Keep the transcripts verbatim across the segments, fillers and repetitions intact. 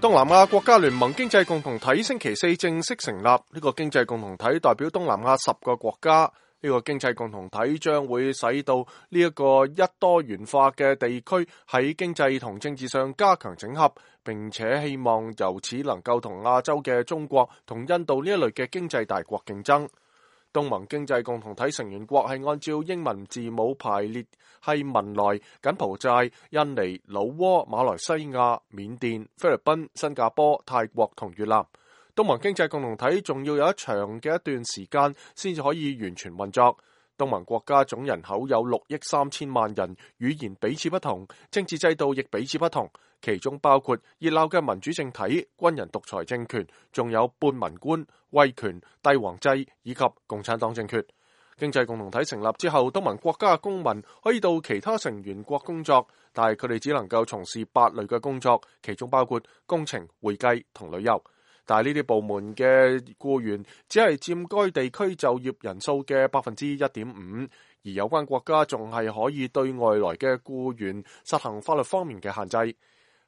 東南亞國家聯盟經濟共同體星期四正式成立，呢、這個經濟共同體代表東南亞十個國家。呢、這個經濟共同體將會使到呢一個一多元化嘅地區喺經濟同政治上加強整合，並且希望由此能夠同亞洲嘅中國同印度呢一類嘅經濟大國競爭。東盟經濟共同體成員國係按照英文字母排列，係文萊、柬埔寨、印尼、老撾、馬來西亞、緬甸、菲律賓、新加坡、泰國同越南。東盟經濟共同體仲要有一長嘅一段時間先至可以完全運作。東盟國家總人口有六億三千萬人，語言彼此不同，政治制度亦彼此不同，其中包括熱鬧嘅民主政體、軍人獨裁政權，仲有半文官、威權、帝王制以及共產黨政權。經濟共同體成立之後，東盟國家嘅公民可以到其他成員國工作，但係佢哋只能夠從事八類嘅工作，其中包括工程、會計同旅遊。但係呢啲部門嘅僱員只係佔該地區就業人數嘅百分之一點五，而有關國家仲係可以對外來嘅僱員實行法律方面嘅限制。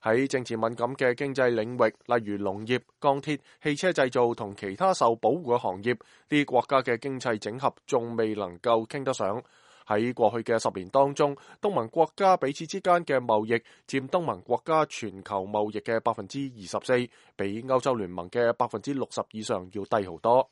喺政治敏感嘅經濟領域，例如農業、鋼鐵、汽車製造同其他受保護嘅行業，呢啲國家嘅經濟整合仲未能夠傾得上。喺過去嘅十年當中，東盟國家彼此之間嘅貿易佔東盟國家全球貿易嘅百分之二十四，比歐洲聯盟嘅百分之六十以上要低好多。